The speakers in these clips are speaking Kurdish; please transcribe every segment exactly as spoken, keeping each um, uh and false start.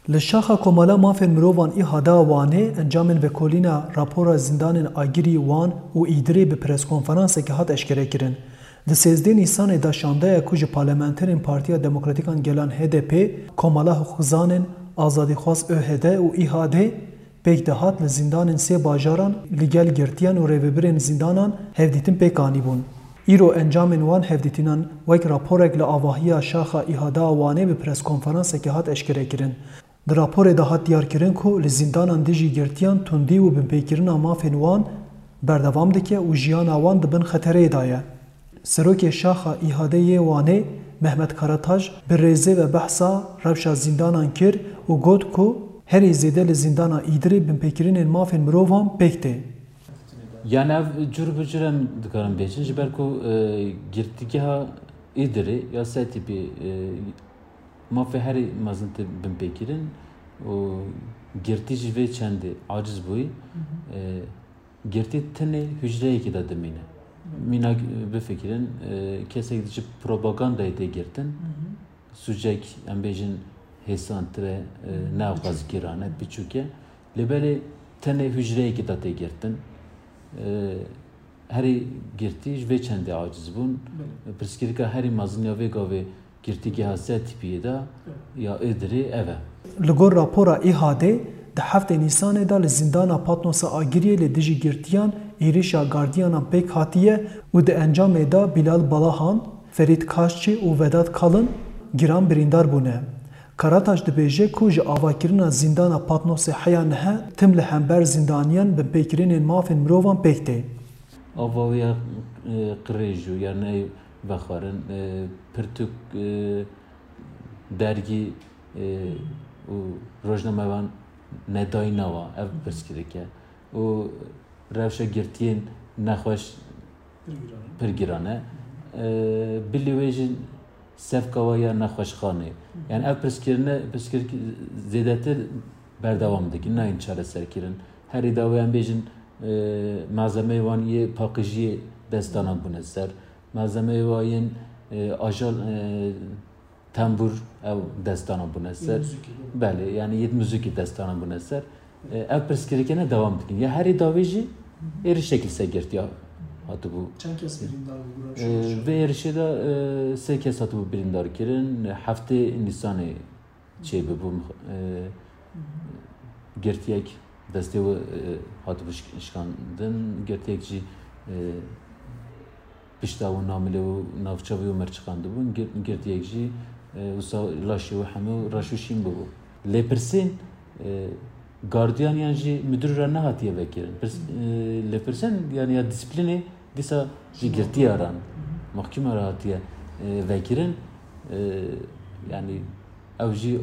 Li Şaxa Komala Mafên Mirovan ÎHD a Wanê encamên vekolîna rapora zîndanên Agirî, Wan û Îdirê bi preskonferansekê hat eşkerekirin. Di sêzdeh Nîsanê de şandeya ku ji parlamenterên Partiya Demokratîk a Gelan HDP, Komala Hiqûqzanên Azadîxwaz ÖHD û ÎHD pêk dihat li zîndanên sê bajaran li gel girtiyan û rêvebirên zîndanan hevdîtin pêk anîbûn. Îro encamên wan hevdîtinan wek raporek li avahiya Şaxa ÎHD a Wanê bi preskonferansekê hat eşkerekirin. Di raporê de hat diyarkirin ku li zîndanan dijî girtiyan tundî û binpêkirina mafên wan berdewam dike û jiyana wan di bin xetereyê de ye. Serokê Şaxa ÎHD'ê yê Wanê Mehmet Karataş bi rêzê ve behsa rewşa zîndanan kir û got ku herî zêde li zîndana Îdirê binpêkirinên mafên mirovan pêk tê. Yani ev cur bi cur em dikarin bêjin, ji ber ku, e, girtîgeha Îdirê ya Setîpî, e, mafê herî mezin tê binpêkirin û girtî ji vê çendê aciz bûyî. E, girtî tenê hucreyekê de dimîne. Mînak bifikirin, e, kesek ji propagandayê tê girtin. Sûcek, em bêjin, hêsantir e, e, ne ew qas giran e, piçûk e. Lê belê tenê hucreyekê de tê girtin. E, herî girtî ji vê çendê aciz bûn. Belê. Pirsgirêka herî mezin ya vê gavê girtîgeha Setîpiyê de ya Êdirê ev e. Li gor rapora ÎHD'ê, di heftê Nîsanê de li zîndana Patnosê Agiriyê li dijî girtiyan êrişa gardiyanan pêk hatiye û di encamê de Bilal Balahan, Ferîd Kaşçî û Vedat Kalın giran birîndar bûne. Karataş dibêje ku ji avakirina zîndana Patnosê heya niha tim li hember zîndaniyan binpêkirinên mafên mirovan pêk tê. Ava wê ya, e, qirêj û ya neyê vexwarin, e, pirtûk, e, dergî, e, û rojnamevan nedayîna wa, ev pirsgirêk e. Û rewşa girtiyên nexweş pir giran e. Pir giran e. E, bilî wê jî sevka wa ya nexweşxanê. Yani ev pirsgirine, pirsgirêk zêdetir berdewam dikin, nayên çareserkirin. Herî dawî em bêjin, e, malzemeyê wan yê paqijiyê destana bûne ser. Malzemeyê wa yên, e, ajal, e, tembûr ew destana bûne ser. Yê muzîkê, doğru. Belê, yani yê muzîkê destana bûne ser. E, ev pirsgirêkene dewam dikin. Ya herî dawî jî êrişek li ser girtiya hatibû. Çend kes birîndar bû, bûra E, şoreşa? Vê êrişê de, e, sê kes hatibû birîndar kirin. Heftê Nîsanê çêbibû. E, girtiyek destê wî, e, hatibû şik-, şikandin. Girtiyek jî, e, pişta wî namilê û navça wî û mir çiqandibûn. Gir-, girtiyek jî, e, wisa laşê wî hemû reş û şîn bûbû. Lêpirsên, e, gardiyan yan jî müdür re nehatiye vekirin. Pirs-, e, lêpirsên, yani ya disiplînê dîsa ji girtiya re, mehkûma re hatiye, e, vekirin. E, yani ew jî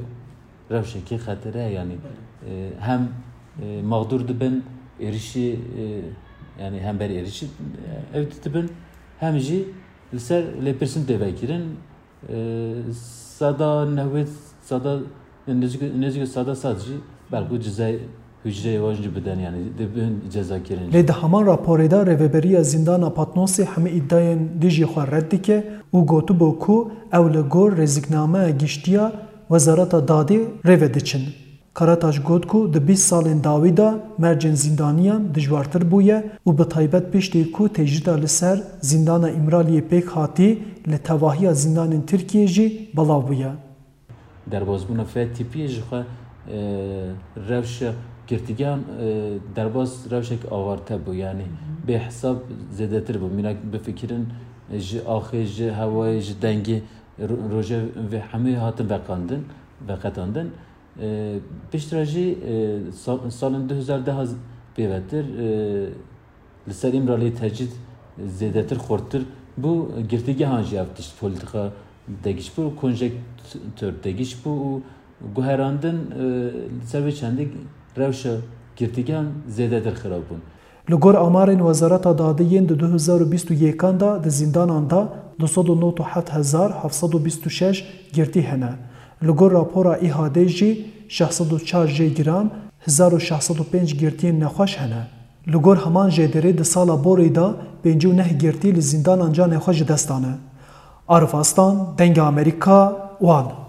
rewşekê xetere ye, yani, e, hem, e, mexdûr dibin, êrişî, e, yani hember êrişî, e, ew dibin, hem jî li ser lêpirsîn tê vekirin. E, seda newêd, seda, yani nêzîk, nêzîk seda sed jî belkû cezayê hucreyê wan jî bidin, yani dibin cezakirin. Lê di heman raporê de Rêveberiya Zîndana Patnosê hemî îdiayên dijî xwe red dike û gotibû ku ew li gor rêziknameya giştî ya Wezareta Dadê rê ve diçin. Karataş got ku di bîst salên dawî de mercên zîndaniyan dijwartir bûye û bi taybet piştî ku tecrîda li ser zîndana Îmraliyê pêk hatî, li tevahiya zîndanên Tirkiyê jî belav bûye. Derbazbûna F-Tîpiyê ji xwe, e, rewşa girtîgehan, e, derbas rewşek avarte bû, yanî bê hesab zêdetir bû. Mînak bifikirin, e, ji axê, ji hewayê, ji dengê, ro-, rojevê hemû hatin veqandin, veqetandin. E, piştre jî, e, sal-, salên du hezar deh pêvetir, e, li ser Îmraliyê tecrîd zêdetir xurttir bû, girtîgehan jî ev tişt polîtîka degiş bû, konjektör degiş bû û guherandin, e, li ser vê çendî rewşa girtîgehan zêdetir xirab bûn. Li gor amarên Wezareta Dadê yên di du hezar û bîst û yekan de di zîndanan de du sed û nod û heft hezar heft sed û bîst û şeş girtî hene. Li gor rapora ÎHD'ê jî şeş sed û çar jê giran, hezar û şeş sed û pênc girtiyên nexweş hene. Li gor heman jêderê di sala borî de pêncî û neh girtî li zîndanan canê xwe ji dest dane. Arif Aslan, Dengê Amerîka, Wan.